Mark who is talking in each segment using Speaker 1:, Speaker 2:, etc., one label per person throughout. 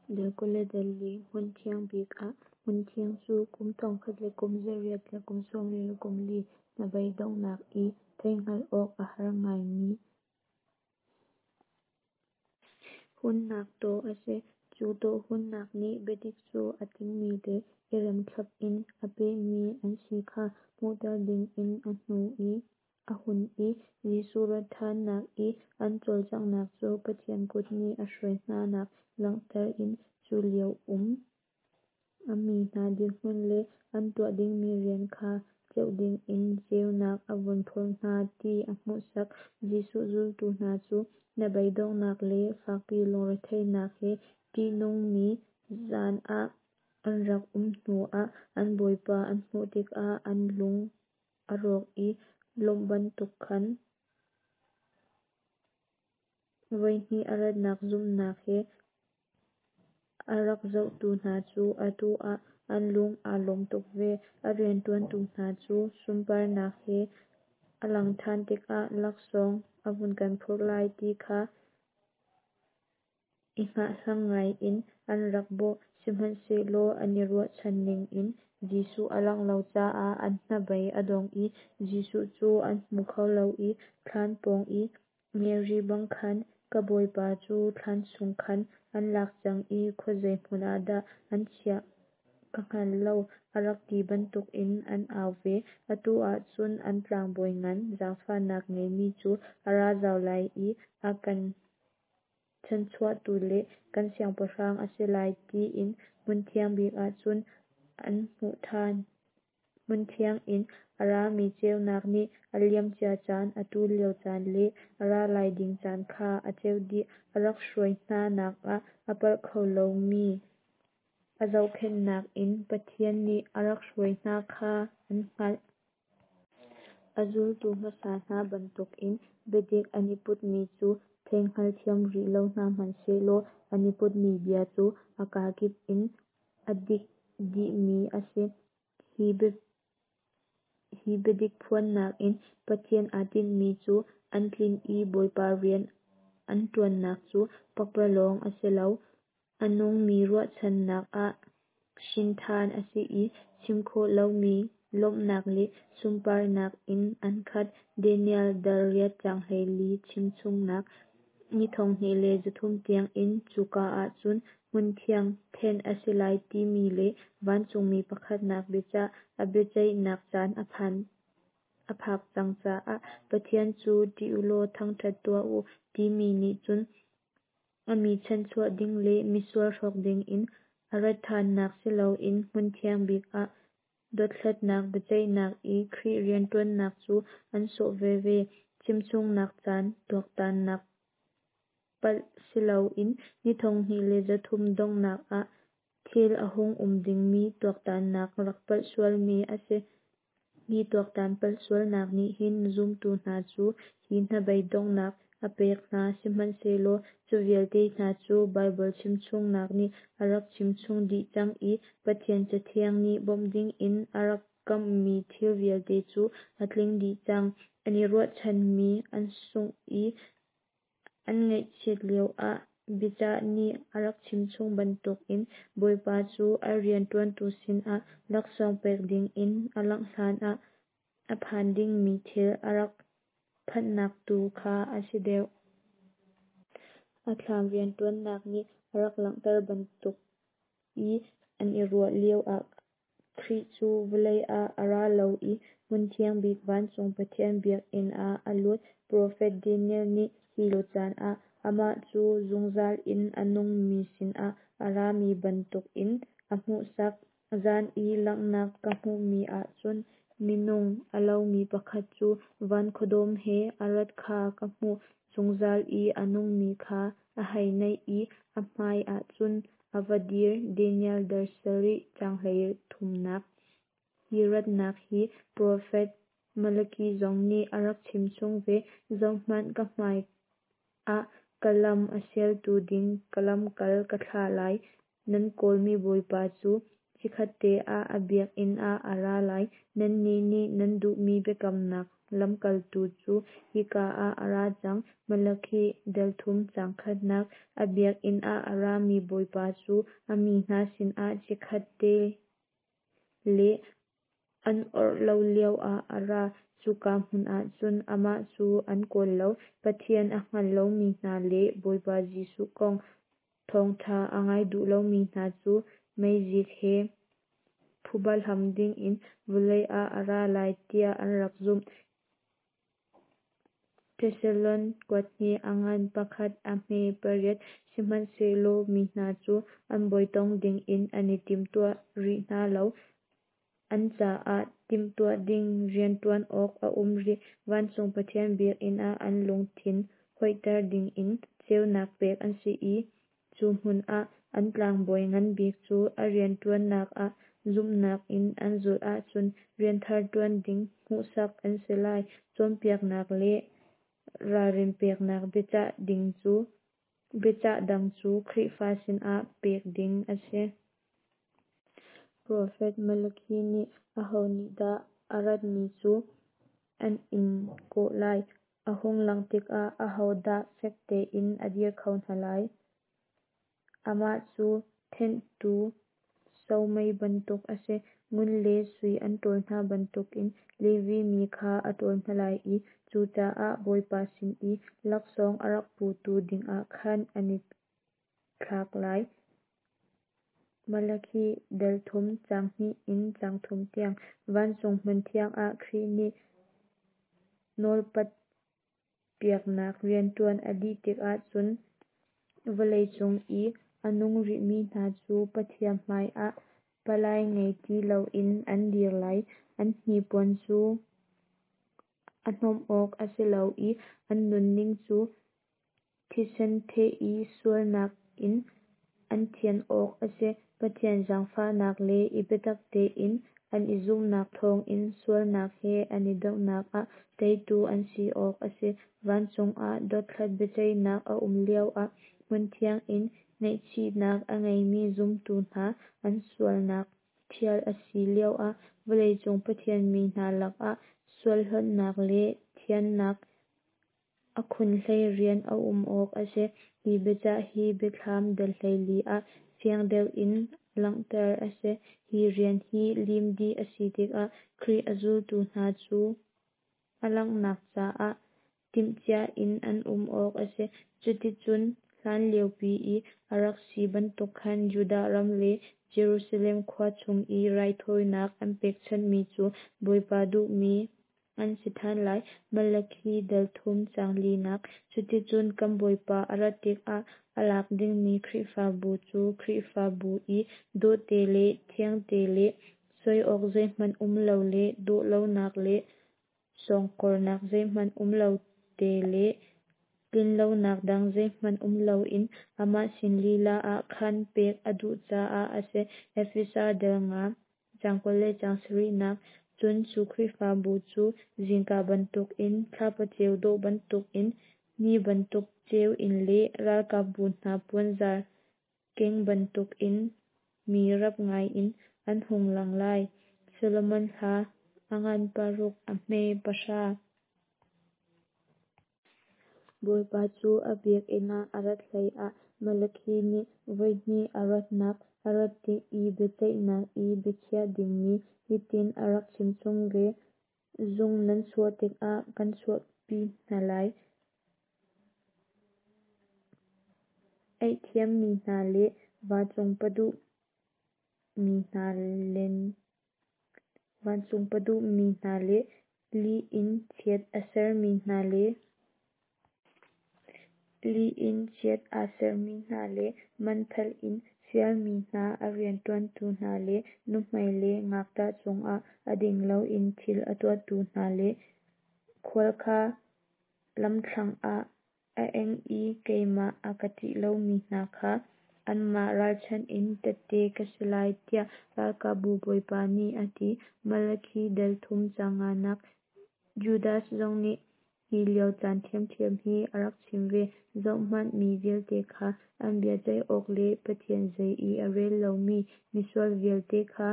Speaker 1: Dal 24 Hmunthiang bik ah Hmunthiang cu kum 1844 hnabeidonghnak i theihhngalh awk a har ngaimi hunnak tawh a si. Cu tawh hunnak nih biadik cu a tlingmi le i remthlap in aa pehmi an si kha hmuhter dingin a hun i, Jesuh rat ṭhannak i an cawlcanghnak cu Pathian kut nih a hruai hna nak langhter in cu lio um a mi hna dirhmun le an tuah dingmi rian kha ceuh dingin ceunak a vun phurh hna ti a hmuhsak. Jesuh zultu hna cu hnabeidonghnak le fakpi lungretheihnak he ṭihnungmi zan ah an rak um hnu ah an Bawipa an hmuh tikah an lung a rawk i lawmh bantuk khan voihnih a ratnak zumhnak he a rak zohtu hna cu atu ah an lung aa lawm tuk ve. A rianṭuantu hna cu sunparnak he a langh ṭhan tikah laksawng a vun kan phurh lai ti kha i hngahhlang ngai in an rak bawh. Sihmanhsehlaw an i ruahchan ningin Jesuh a langh lo caah an hnabei a dong i Jesuh cu an hmu kho lo i thlan pawng i Mary bang khan, Ka Bawipa cu thlan chung khan an lak cang i khuazei hmun ah dah an chiah ka hngal lo, a rak ti bantukin an au ve. Atu ah cun an tlangbawi ngan zaangfahnak ngeimi cu a ra zau lai i a kan chanhchuahtu le kan siangpahrang a si lai tiin hmunthiang bik ah cun an hmuh ṭhan. Hmunthiang in a rami ceunak nih a liamcia caan, atu lio caan le a ra lai ding caan kha a ceuh dih. A rak hruai hna nak ah a palh kho lomi a zohkhenhnak in Pathian nih a rak hruai hna kha an hngalh. A zultu hmasa hna bantukin biadik an i putmi cu thei hngalthiam rih lo hna hmanhsehlaw an i putmi bia cu a kakip in a dik dihmi a si. Hi biadik phuannak in Pathian aa tinhmi cu an tlinh i Bawipa rian an ṭuannak cu pakpalawng a si lo. A nungmi ruahchannak ah hrinṭhan a si i chim khawh lomi lawmhnak le sunparnak in an khat. Daniel dal riat caang 14 chimchungnak Ni 2300 tiangin cuka ah cun hmunthiang thenh a si lai timi le vancungmi pakhatnak biacah a biaceihnak caan a phan a phak cang caah Pathian cu ṭih u law thangṭhat tuah u timi nih cun a mi chanhchuah ding le misual hrawk dingin a rat ṭhannak si loin hmunthiang bik ah dothlatnak biaceihnak i Khrih rianṭuannak cu an sawh veve. Chimchungnak caan tuaktannak palh si loin ni 2300 donghnak ah thil a hung um dingmi tuaktannak rak palh sualmi a si. Hi tuaktan palh sualnak nih hin zumtu hna cu hi hnabei donghnak a pek hna. Sihmanhsehlaw cu vialte hna cu Baibal chimchungnak nih a rak chimchung dih cang i Pathian Cathiang nih bawmh dingin a rak kamhmi thil vialte cu a tling dih cang. An i ruahchanmi an sungh i an ngaihchiat lioah biacah nih a rak chimchung bantukin Bawipa cu a rianṭuantu sinah laksawng pek dingin a langh hlanah a phan dingmi thil a rak phanhnak tu kha a si deuh. A thlam rianṭuannak nih a rak langhter bantuk i an i ruah lioah Khrih cu vawlei ah a ra lo i hmunthiang bik vancung Pathian biakinn ah a lut. Profet Daniel nih hi lio caan ah amah cu zungzal in a nungmi sinah a rami bantukin a hmuhsak. Zan i langhnak ka hmuhmi ah cun minung a lomi pakhat cu van khuadawm he a rat kha ka hmuh. Zungzal i a nungmi kha a hei naih i a hmaiah cun a va dir. Daniel dal sarih caang 33nak. Hi ratnak hi profet Malaki zong nih a rak chimchung ve. Zohhmanh, ka hmai ah ka lam a sialtu ding ka lamkal ka thlah lai. Nan kawlmi Bawipa cu Chikkhatte ah a biakinn ah a ra lai. Nannih nih nan duhmi biakamnak lamkaltu cu hika ah a ra cang. Malakhi dal 3 caang 1nak. A biakinn ah a rami Bawipa cu a mi hna sinah chikkhatte le an orh lo lio ah a ra. Cuka hmun ahcun amah cu an kawl lo. Pathian a hngal lomi hna le Bawipa Jesuh kong thawngṭha a ngai duh lomi hna cu meizik he phuba hlam dingin vawlei ah a ra lai tiah an rak zumh. Thesalon kuathnih a ngan 1 a hme 8. Sihmanhsehlaw mi hna cu an bawi tong dingin an i timtuah rih hna lo. An caah timhtuah ding rianṭuan awk a um rih. Vancung Pathian biakinn ah an lungthin hoihter dingin ceunak pek an si i cu hmun ah an tlangbawi ngan bik cu a rianṭuannak ah zumhnak in an zulh ahcun rianthar ṭuan ding hmuhsak an si lai. Cawnpiaknak le ralrin peknak biacah dang cu Khrihfa sinah pek ding a si. Profet Malakhi nih aho nih dah a rat ni cu an in kawh lai? A hung langh tikah ahodah fek tein a dir kho hna lai? Amah cu thenhtu somei bantuk a si. Ngun le sui an ṭawl hna bantukin Levi mi kha a ṭawl hna lai i cucaah Bawipa sin i laksawng a rak putu dingah khan an i thlak lai. Malakhi dal 3 caang 2 in caang 3 tiang. Vancung hmunthiang ah Khrih nih nawlpat piaknak rianṭuan a dih tikah cun vawleicung i a nung rihmi hna cu Pathian hmaiah palai ngei ti loin an dir lai. An hnipuan cu a hnawm awk a si lo i an nunning cu thisen theh i sualnak in an thian awk a si. Pathian zaangfahnak le i biatak tein an i zumhnak thawngin sualnak he an i dohnak ah teitu an si awk a si. Vancung ah dothlat biaceihnak a um lioah hmunthiang in ngaihchihnak a ngeimi zumtu hna an sualnak ṭhial a si lioah vawleicung Pathian mi hna lakah sualhlawtnak le thiannak a khunhlei rian a um awk a si. Hi biacah hi Biathlam dal 14 ah fiang deuh in langhter a si. Hi rian hi lim dih a si tikah Khrih a zultu hna cu a langhnak caah timhcia in an um awk a si. Cuticun hlanliopi i a rak si bantuk khan Judah ram le Jerusalem khua chung i raithawinak an pekchanhmi cu Bawipa duhmi an si ṭhan lai. Malakhi dal 3 caang 4nak. Cuticun kan Bawipa a rat tikah a lak dingmi Khrihfabu cu Khrihfabu i dawhte le thiangte le soi awk zeihmanh um lo le dawh lonak le sawngkawrnak zeihmanh um lo te le tlinlonak dang zeihmanh um loin amah sin lila ah khan pek a duh caah a si. Efesa dal 5 caang 20 le caang 7nak. Cun cu Khrihfabu cu zingka bantukin, thlapa ceu dawh bantukin, ni bantuk ceu in le ralkapbu hna puanzar keng bantukin mi rap ngaiin an hung lang lai. Solomon Hla a ngan 6 a hme 10. Bawipa cu a biakinn ah a rat hleiah Malakhi nih voihnih a ratnak, a rat tik i biaceihnak i biakhiah dingmi hitin a rak chimchung ve: Zung nan chuah tikah kan chuahpi hna lai. Eihthiammi hna le vancung paduhmi hna le lih in chiat a sermi hna le lih in chiat aa sermi hna le manphelh in fialmi hna a rianṭuantu hna le nuhmei le ngakṭah cungah a ding loin thil a tuahtu hna le khual kha lamthlang ah a eng i keimah a ka ṭih lomi hna kha anmah ralchanh in tehte ka si lai, tiah ralkapbu Bawipa nih a ti. Malakhi dal 3 caang 5nak. Judas zong nih. Hi lio caan ṭhiamṭhiam hi a rak chim ve. Zohhmanh, mi vialte kha an bia ceih awk le Pathian zei i a rel lomi misual vialte kha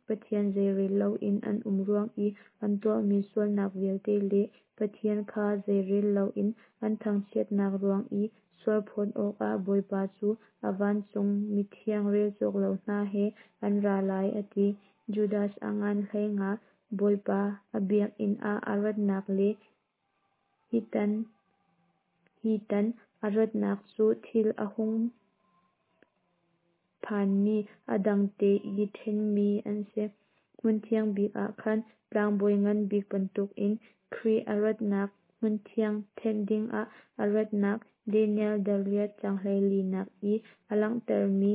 Speaker 1: Pathian zeirel loin an um ruang i an tuahmi sualnak vialte le Pathian kha zeirel loin an thangchiatnak ruang i sualphawt awkah Bawipa cu a vancung mithiang relcawk lo hna he an ra lai, a ti. Judas a ngan 15, Bawipa a biakinn ah a ratnak le hi tan a ratnak cu thil a hung phanmi a dangte i ṭhenmi an si. Hmunthiang bik ah khan tlangbawi ngan bik bantukin Khrih a ratnak, hmunthiang thenh dingah a ratnak, Daniel dal riat caang 14nak i a langhtermi,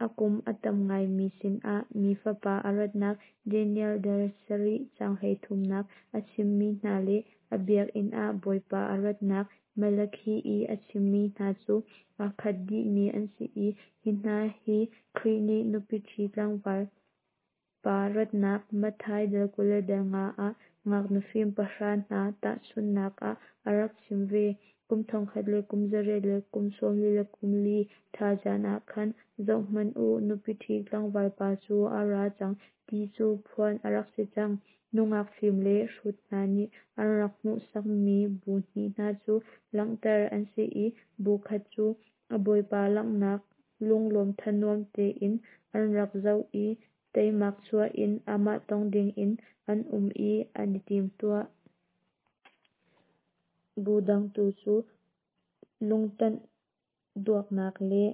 Speaker 1: a kum a tam ngaimi sinah Mi Fapa a ratnak, Daniel dal sarih caang 33nak a chimmi hna le a biakinn ah Bawipa a ratnak Malakhi i a chimmi hna cu aa khat dihmi an si i hi hna hi Khrih nih nupi ṭhi tlangval pa ratnak Matthai dal 25 ah ngaknu fim pahra hna tahchunhnak ah a rak chim ve. Kum thongkhat le kum zariat le kum sawmli le kum li ṭhal caan ah khan, zohhmanh u, nupi ṭhi tlangval pa cu a ra cang, ti cu phuan a rak si cang. Nungak fim le hrut hna nih an rak hmuhsakmi bu hnih hna cu langhter an si i bu khat cu a bawipa langhnak lunglawm thanuam tein an rak zoh i teimak chuah in amah tong dingin an um i an i timtuah. Bu dang tu cu lungtanh duaknak le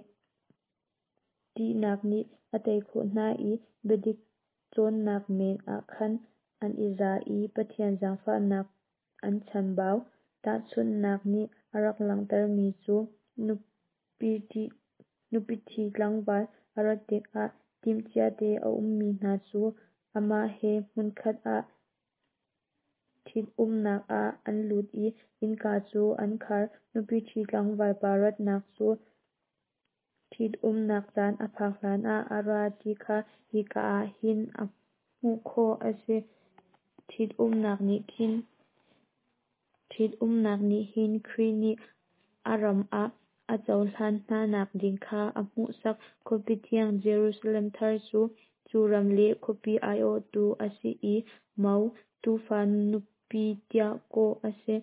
Speaker 1: ṭihnak nih a tei khawh hna i biadik cawnnak men ah khan an i za i Pathian zaangfahnak an chambau. Tahchunhnak nih a rak langhtermi cu nupiṭhi tlangval a rat tikah timhciate a ummi hna cu amah he hmunkhat ah ṭhitumnak ah an lut i innka cu an khar. Nupiṭhi tlangval pa ratnak cu ṭhitumnak caan a phak hlanah a ra ti kha hika ah hin a hmuh khawh a si. Ṭhitumnak nih hin Khrih nih a ram ah a cohlan hnanak ding kha a hmuhsak. Khuapi thiang Jerusalem thar cu cu ram le khuapi aiawhtu a si i mo, Tuufa nupi tiah kawh a si.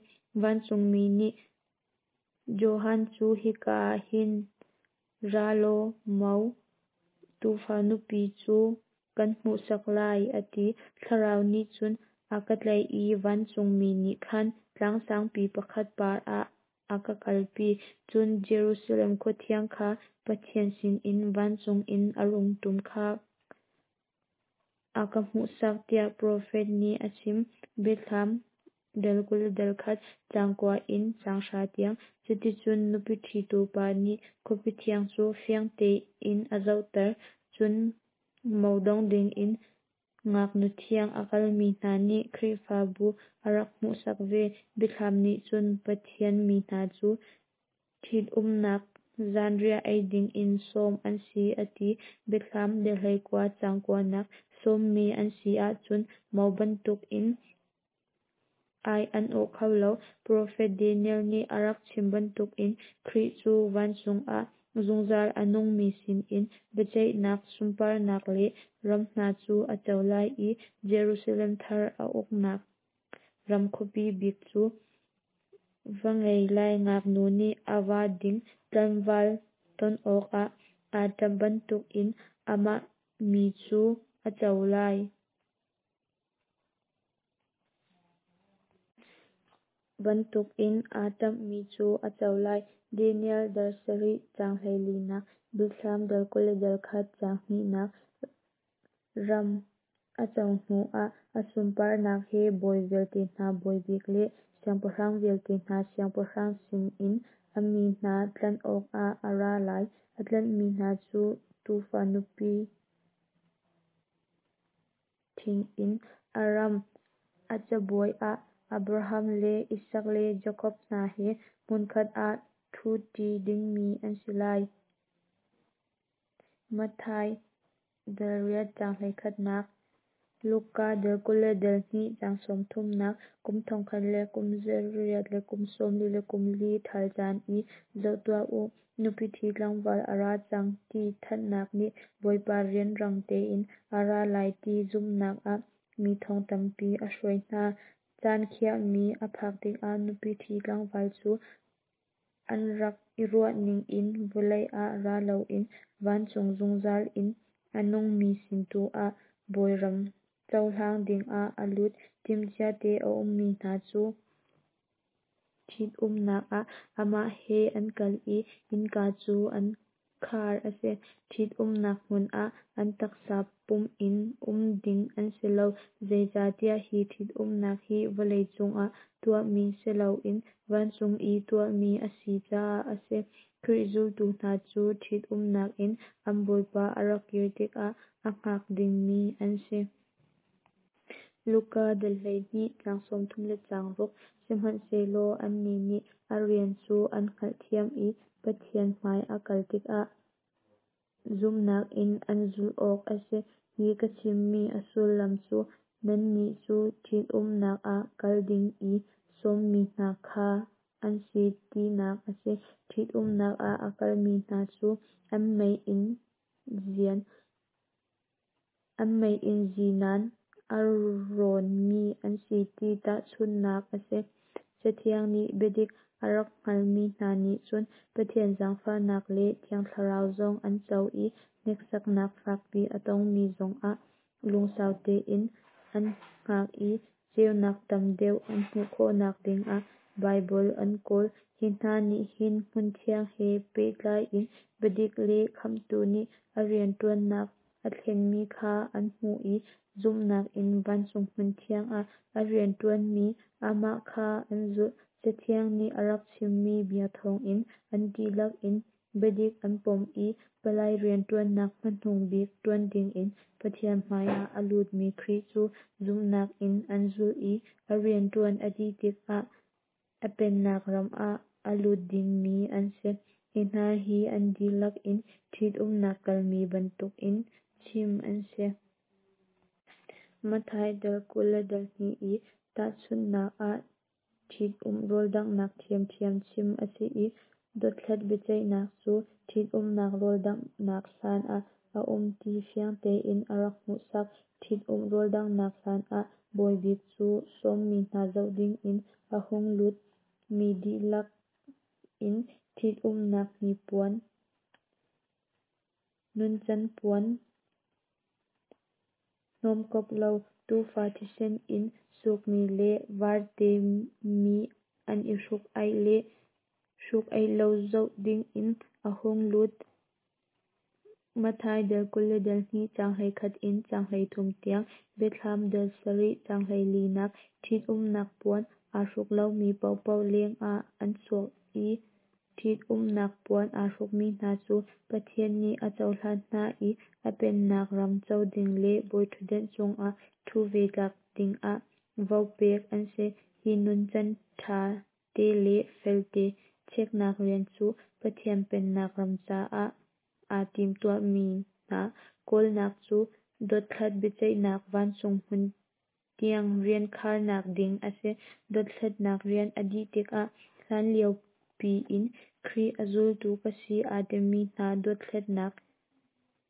Speaker 1: Vancungmi nih Johan cu hika ah hin ra law mo, Tuufa nupi cu kan hmuhsak lai, a ti. Thlarau nih cun a ka tlaih i vancungmi nih khan tlang sangpi pakhat par ah a ka kalpi. Cun Jerusalem khua thiang kha Pathian sinin vancung in a rung ṭum kha a ka hmuhsak, tiah profet nih a chim. Biathlam dal 21 caang kua in caang hra tiang. Cuticun nupi ṭhitu pa nih khuapi thiang cu fiang tein a zohter. Cun mo dong dingin ngaknu thiang a kalmi hna nih Khrihfabu a rak hmuhsak ve. Biathlam nih cun Pathian mi hna cu ṭhitumnak zanriah ei dingin sawm an si a ti. Biathlam dal 19 caang kuanak. Sawmmi an si ahcun mo bantukin ai an awh kho lo. Profet Daniel nih a rak chim bantukin Khrih cu vancung ah zungzal a nungmi sinin biaceihnak, sunparnak le ram hna cu a co lai i Jerusalem thar a uknak ram khuapi bik cu va ngei lai ngaknu nih a va ding tlangval ton awkah aa ṭamh bantukin amah mi cu a co lai. Bantukin aa ṭamhmi cu a co lai. Daniel dal sarih caang hleilinak, Biathlam dal 21 caang hnihnak. Ram a co hnuah a sunparnak he bawi vialte hna Bawi bik le siangpahrang vialte hna Siangpahrang sinin a mi hna tlanh awkah a ra lai. A tlanhmi hna cu Tuufa nupi ṭhing in a ram a cabuai ah Abraham le Isak le Jakob hna he hmunkhat ah ṭhuṭi dingmi an si lai. Matthai dal riat caang hleikhatnak. Luka dal 22 caang 30nak, kum 1000 le kum 8 le kum 44 ṭhal caan i “Zoh tuah u, nupi ṭhi tlangval a ra cang,” ti thanhnak nih Bawipa rianrang tein a ra lai ti zumhnak ah mi thong tampi a hruai hna. Caan khiahmi a phak tikah nupi ṭhi tlangval cu an rak i ruahning in vawlei ah ra loin vancung zungzal in a nungmi sin tu ah Bawi ram cohlang dingah a lut. Timhcia te a ummi hna cu ṭhitumnak ah amah he an kal i innka cu an khar a si. Ṭhitumnak hmun ah an taksa pum in um ding an si lo, zeicahtiah hi ṭhitumnak hi vawlei cungah tuahmi si loin vancung i tuahmi a si caah a si. Khrih zultu hna cu ṭhitumnak in an Bawipa a rak kir tikah a hngak dingmi an si. Luka dal 12 caang 30 le caang 6, Sihmanhsehlaw annih nih a rian cu an hngalhthiam i Pathian hmai a kal tikah zumhnak in an zulh awk a si. Hi ka chimmi a sullam cu nannih cu ṭhitumnak ah kal ding i sawmmi hna kha an si tinak a si. Ṭhitumnak ah a kalmi hna cu an mei inn zinan a rawnmi an si ti tahchunhnak a si. Cathiang nih biadik a rak hngalmi hna nih cun Pathian zaangfahnak le Thiang Thlarau zong an co i hneksaknak fakpi a tongmi zongah lungsau tein an hngak i ceunak tam deuh an hmuh khawhnak dingah Baibal an kawl. Hi hna nih hin hmunthiang he pehtlai in biadik le Khamhtu nih a rianṭuannak a thlenmi kha an hmuh i zumhnak in vancung hmunthiang ah a rianṭuanmi amah kha an zulh. Cathiang nih a rak chimmi bia thawngin an dihlak in biadik an pom i palai rianṭuannak hmanung bik ṭuan dingin Pathian hmaiah a lutmi Khrih cu zumhnak in an zulh i a rianṭuan a dih tikah a pennak ram ah a lut dingmi an si. Hi hna hi an dihlak in ṭhitumnak kalmi bantukin chim an si. Matthai dal 22 i tahchunhnak ah ṭhitumh rawldanghnak ṭhiamṭhiam chim a si i dothlat biaceihnak cu ṭhitumnak rawldanghnak hlan ah a um ti fiang tein a rak hmuhsak. Ṭhitumh rawldanghnak hlan ah bawibik cu sawmmi hna zoh dingin a hung lut. Mi dihlak in ṭhitumnak hnipuan, nuncan puan, hnawmkop lo, tuufa thisen in sukmi le varte mi an i hruk-aih le hruk-aih lo zoh dingin a hung lut. Matthai dal 22 caang 21 in caang 33 tiang, Biathlam dal 7 caang 14nak, Ṭhitumnak puan aa hruk lomi paohpaoh leng ah an chuak i ṭhitumnak puan aa hrukmi hna cu Pathian nih a cohlan hna i a pennak ram co ding le bawiṭhutdan cungah ṭhu ve tlak dingah vo pek an si. Hi nuncan ṭha te le felte cheknak rian cu Pathian pennak ram caah aa timtuahmi hna kawlnak cu dothlat biaceihnak vancung hmunthiang rian kharnak ding a si. Dothlatnak rian a dih tikah hlanlio piin Khrih a zultu ka si aa timi hna dothlatnak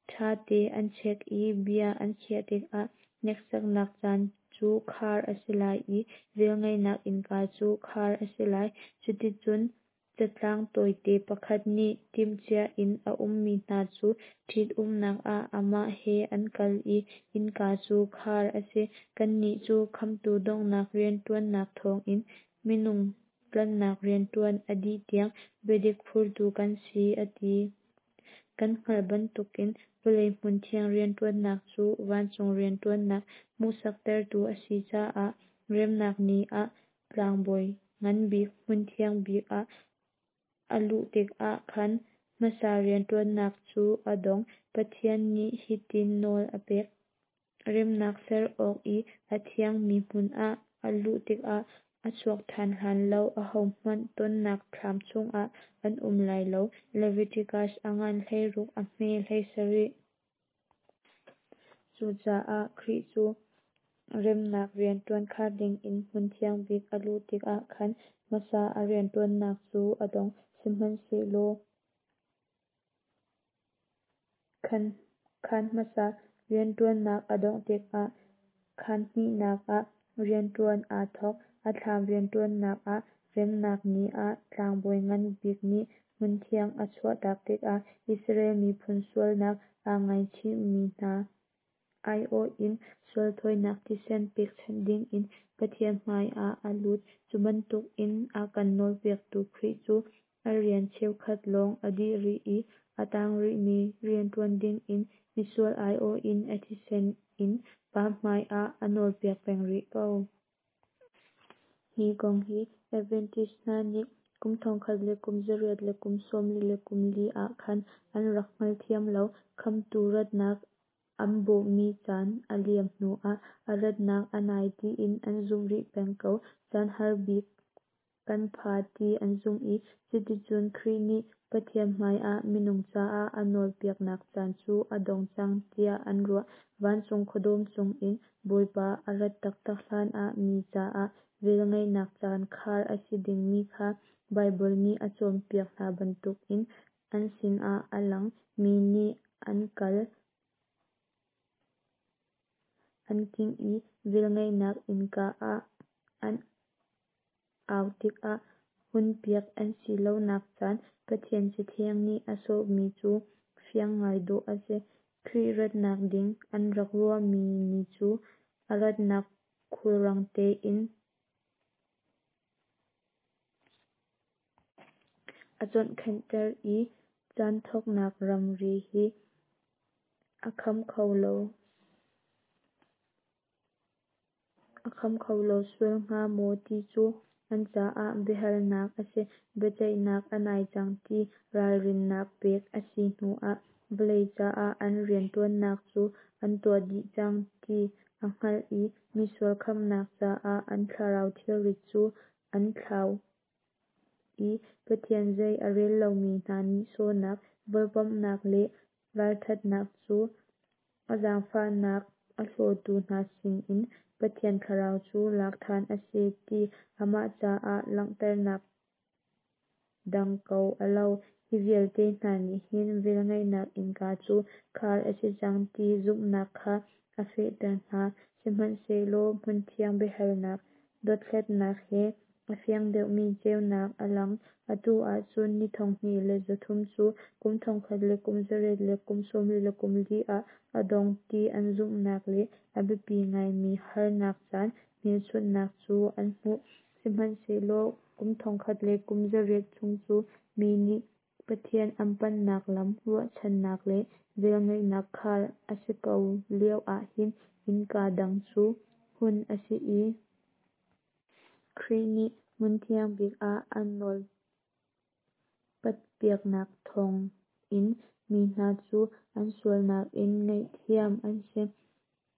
Speaker 1: ṭhate an chek i bia an khiah tikah hneksaknak caan cu khar a si lai i velngeihnak innka cu khar a si lai. Cuticun catlang tawite pakhat nih timhcia in a ummi hna cu ṭhitumnak ah amah he an kal i innka cu khar a si. Kannih cu Khamhtu donghnak rianṭuannak thawngin minung tlanhnak rianṭuan a dih tiang biadik phurtu kan si a ti. Kan hngalh bantukin vawlei hmunthiang rianṭuannak cu vancung rianṭuannak hmuhsaktertu a si caah remnak ni ah tlangbawi nganbik hmunthiang bik ah a luh tikah khan hmasa rianṭuannak cu a dong. Pathian nih hitin nawl a pek: Remnak ser awk i a thiangmi hmun ah a luh tikah a chuak ṭhan hlan lo ahohmanh tonnak thlam chungah an um lai lo. Leviticus a ngan 16 a hme 17. Cucaah Khrih cu Remnak rianṭuan khar dingin hmun thiang bik a luh tikah khan hmasa a rianṭuannak cu a dong. Sihmanhsehlaw khaan hmasa rianṭuannak a dongh tikah khaan hnihnak ah rianṭuan aa thawk. A thlam rianṭuannak ah Remnak Ni ah tlangbawi ngan bik nih hmunthiang a chuahtak tikah Israel miphun sualnak aa ngaichihmi hna aiawh in sual thawinak thisen pekchanh dingin Pathian hmaiah a lut. Cu bantukin a kan nawlpiaktu Khrih cu a rian cheukhat lawng a dih rih i a tang rihmi rianṭuan dingin misual aiawh in a thisen in Pa hmaiah a nawlpiak peng rih ko. Hi kong hi Adventist hna nih kum 1844 ah khan an rak hngalthiam lo. Khamhtu ratnak an bawhmi caan a liam hnuah a ratnak a nai tiin an zumh rih peng ko. Caan har bik kan pha ti an zumh i cuticun Khrih nih Pathian hmaiah minung caah a nawlpiaknak caan cu a dong cang tiah an ruah. Vancung khuadawm cungin Bawipa a rat taktak hlanah mi caah velngeihnak caan khar a si dingmi kha Baibal nih a cawnpiak hna bantukin an sinah a lang. Mi nih an kal an kingh i velngeihnak innka ah an au tikah hunpiak an si lonak caan Pathian Cathiang nih a sawhmi cu fiang ngai dawh a si. Khrih ratnak ding an rak ruahmi ni cu a ratnak khulrang tein a chawnkhanhter i caan thawknak ramri hi a kham kho lo sual hnga maw ti cu an caah biahalnak a si. Biaceihnak a nai cang ti ralrinnak pek a si hnuah vawlei caah an rianṭuannak cu an tuah dih cang ti a hngalh i misual khamhnak caah an thlarau thilrit cu an thlau i Pathian zei a rel lomi hna nihsawhnak, vawlpamnak le ralṭhatnak cu a zaangfahnak a hlawtu hna sinin Pathian Thlarau cu lak ṭhan a si ti amah caah langhternak dang ko a lo. Hi vialte hna nih hin velngeihnak innka cu khar a si cang ti zumhnak kha a fehter hna. Sihmanhsehlaw hmunthiang biahalnak dothlatnak he a fiang deuhmi ceunak a lang. Atu ahcun ni 2300 cu kum 1844 ah a dong ti an zumhnak le a biapi ngaimi harnak caan hmelchunhnak cu an hmuh. Sihmanhsehlaw kum 1800 chung cu mi nih Pathian an panhnak lam ruahchannak le velngeihnak khar a si ko lio ahhin innka dang cu hun a si i Khrih nih hmunthiang bik ah a nawlpatpiaknak thawngin mi hna cu an sualnak in ngaihthiam an si.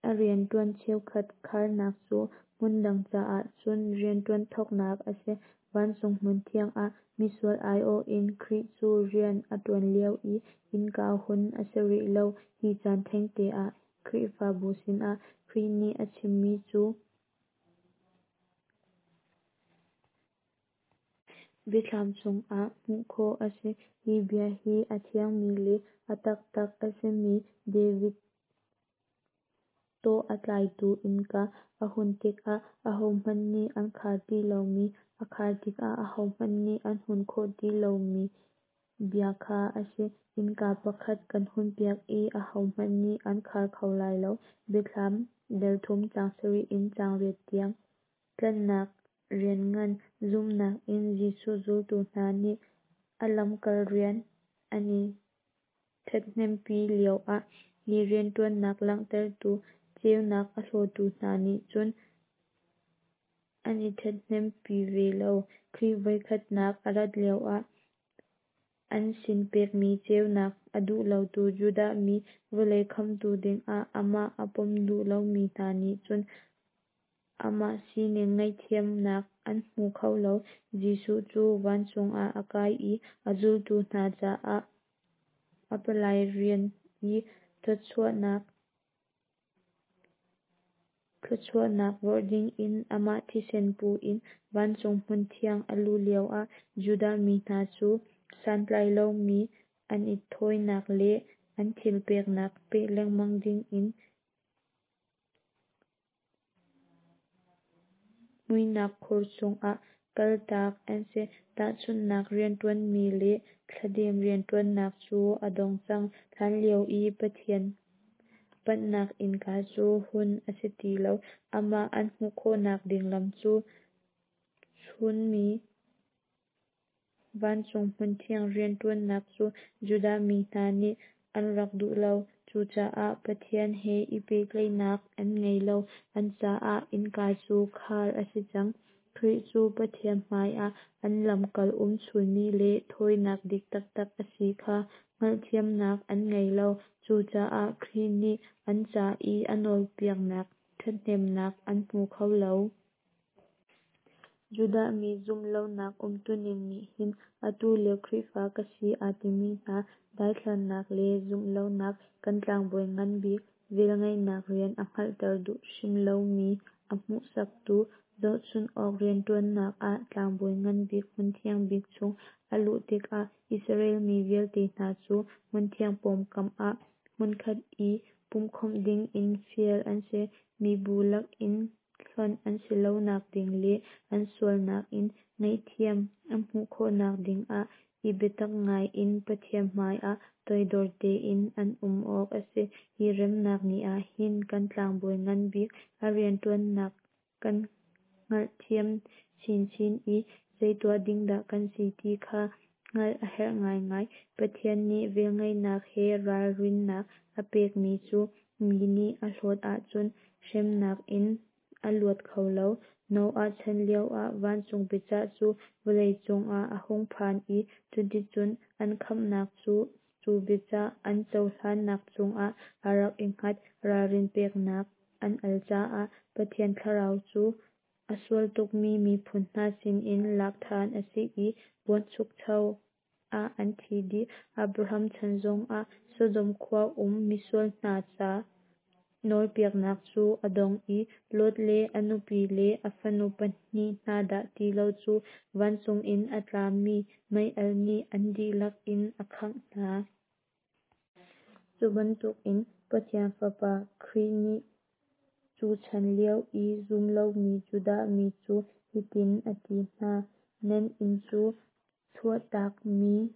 Speaker 1: A rianṭuan cheukhat kharnak cu hmundang caah cun rianṭuan thawknak a si. Vancung hmunthiang ah misual aiawh in Khrih cu rian a ṭuan lio i innka hun a si rih lo. Hi caan thengte ah Khrihfabu sinah Khrih nih a chimmi cu Biathlam chungah hmuh khawh a si. Hi bia hi a thiangmi le a taktak a simi David tawh a tlaitu innka a hun tikah ahohmanh nih an khar ti lomi, a khar tikah ahohmanh nih an hun khawh ti lomi bia kha a si. Innka pakhat kan hunpiak i ahohmanh nih an khar kho lai lo. Biathlam dal thum caang sarih in caang riat tiang. Tlanhnak rian ngan zumhnak in Jesuh zultu hna nih a lamkal rian an i ṭhathnempi lioah hi rianṭuannak langhtertu ceunak a hlawtu hna nih cun an i ṭhathnempi ve lo. Khrih voikhatnak a rat lioah an sin pekmi ceunak a duh lotu Judah mi vawlei khamhtu dingah amah a pom duh lomi hna nih cun amah sining ngaihthiamnak an hmu kho lo. Jesuh cu vancung ah a kai i a zultu hna caah a palai rian i thluachuahnak. Thluachuahnak vorh dingin amah thisen pu in vancung hmunthiang a luh lioah Judah mi hna cu santlai lomi an i thawinak le an thil peknak peh lengmang dingin muihnak khur chungah kaltak an si. Tahchunhnak rianṭuanmi le thladem rianṭuannak cu a dong cang. Hlanlio i Pathian panhnak innka cu hun a si ti lo. Amah an hmuh khawhnak ding lam cu chunmi vancung hmunthiang rianṭuannak cu Judah mi hna nih an rak duh lo. Cucaah Pathian he i pehtlaihnak an ngei lo. An caah innka cu khar a si cang. Khrih cu Pathian hmaiah an lamkal umchunmi le thawinak dik taktak a si kha hngalhthiamnak an ngei lo. Cucaah Khrih nih an ca i a nawlpiaknak ṭhathnemnak an hmu kho lo. Judah mi zumh lonak umtuning nih hin atu lio Khrihfa ka si aa timi hna daithlannak le zumh lonak, kan tlangbawi ngan bik velngeihnak rian a hngalhter duh hrim lomi a hmuhsaktu zohchunh awk rianṭuannak ah tlangbawi ngan bik hmunthiang bik chung a luh tikah Israel mi vialte hna cu hmunthiang pawngkam ah hmunkhat i pumhkhawmh dingin fial an si. Mibu lakin hlonh an si lonak ding le an sualnak in ngaihthiam an hmuh khawhnak dingah i biatak ngai in Pathian hmaiah toidor tein an um awk a si. Hi remnak ni ah hin kan tlangbawi ngan bik a rianṭuannak kan hngalhthiam chinchin i zei tuah ding dah kan si ti kha hngalh a herh ngaingai. Pathian nih velngeihnak he ralrinnak a pekmi cu mi nih a hlawt ahcun hremnak in a luat kho lo. Noah chan lioah vancung biacah cu vawlei cungah a hung phan i cuticun an khamhnak cu cu biacah an cohlannak cungah a rak i hngat. Ralrin peknak an al caah Pathian thlarau cu a sual tukmi miphun hna sinin lak ṭhan a si i buanchukcho ah an thi dih. Abraham chan zongah Sodom khua um misual hna ca nawlpiaknak cu a dong i Lot le a nupi le a fanu pahnih hna dah ti lo cu vancung in a tlami mei-alh nih an dihlak in a khangh hna. Cu bantukin Pathian Fapa Khrih nih cu chan lio i zum lomi Judah mi cu hitin a ti hna: Nan inn cu chuahtakmi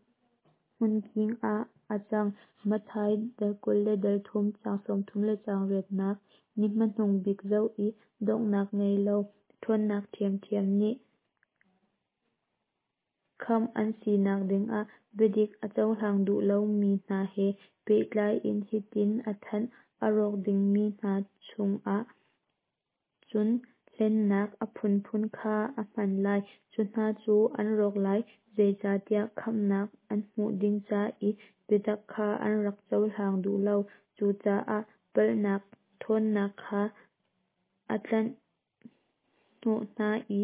Speaker 1: hmunking ah a cang. Matthai dal 20 le dal thum, caang 30 le caang riatnak. Ni hmanung bik zoh i donghnak ngei lo ṭhawnnak ṭhiamṭhiam nih khamh an sinak dingah biadik a cohlang duh lomi hna he pehtlai in hitin a thanh: A rawk dingmi hna cungah cun hlennak a phunphun kha a hman lai; cu hna cu an rawk lai, zeicahtiah khamhnak an hmuh ding ca i biatak kha an rak cohlang duh lo. Cucaah palhnak ṭhawnnak kha a tlanh hnawh hna i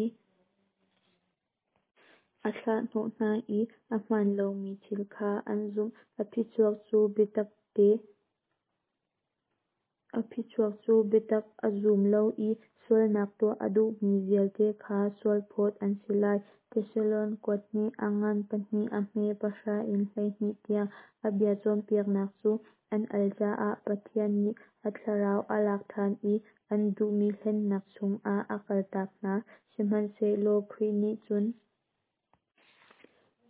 Speaker 1: a thlah hnawh hna i a hmaan lomi thil kha an zumh. A phichuak cu biatak te A phichuak cu biatak a zum lo i sualnak tuah a duhmi vialte kha sualphawt an si lai. Thesalon kuat hnih, a ngan pahnih a hme pahra in 12 tiang. A bia cawnpiaknak cu an al caah Pathian nih a thlarau a lak ṭhan i an duhmi hlennak chungah a kaltak hna. Sihmanhsehlaw Khrih nih cun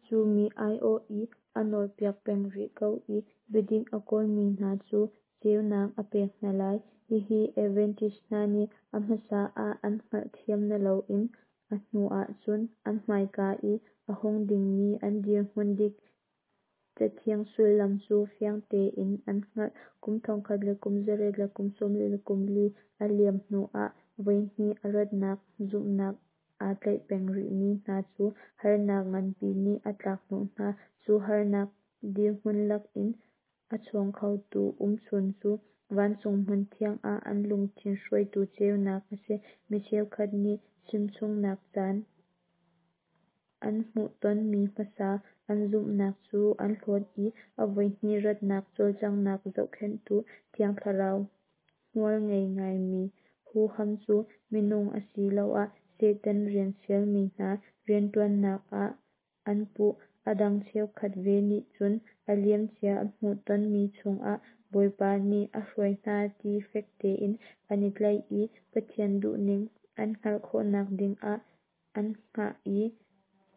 Speaker 1: cu mi aiawh i a nawlpiak peng rih ko i biadik a kawlmi hna cu ceunak a pek hna lai. Hihi Adventist hna nih a hmasa ah an hngalhthiam naloin a hnu ahcun an hmaika i a hung dingmi an dirhmun dik Cathiang sullam cu fiang tein an hngalh. Kum thongkhat le kum zariat le kum 40 le kum li a liam hnuah voihnih a ratnak zumhnak aa tlaih peng rihmi hna cu harnak nganpi nih a tlak hnawh hna. Cu harnak dirhmun lakin a chuak khotu umchun cu vancung hmunthiang ah an lungthin hruaitu ceunak a si. Mi cheukhat nih chimchungnak caan an hmuhtonmi hmasa an zumhnak cu an hlawt i a voihnih ratnak cawlcanghnak zohkhenhtu Thiang Thlarau hmual ngei ngaimi Huham cu minung asiloah Satan rian fialmi hna rianṭuannak ah an puh. A dang cheukhat ve nih cun a liamcia an hmuhtonmi chungah Bawipa nih a hruai hna ti fek tein an i tlaih i Pathian duhning an hngalh khawhnak dingah an hngah i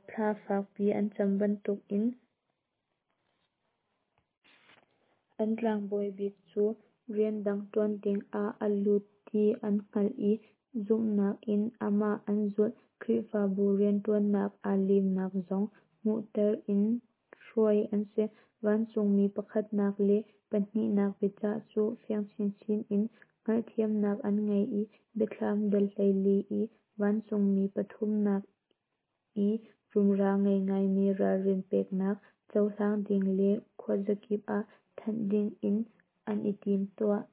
Speaker 1: thla fakpi an cam bantukin an tlangbawi bik cu rian dang ṭuan dingah a lut ti an hngalh i zumhnak in amah an zulh. Khrihfabu rianṭuannak aa limnak zong hmuhter in hruai an si. Vancungmi pakhatnak le pahnihnak biacah cu fiang chinchin in hngalhthiamnak an ngei i Biathlam dal 14 i vancungmi pathumnak i rumra ngei ngaimi ralrin peknak cohlang ding le khuazakip ah thanh dingin an i timtuah.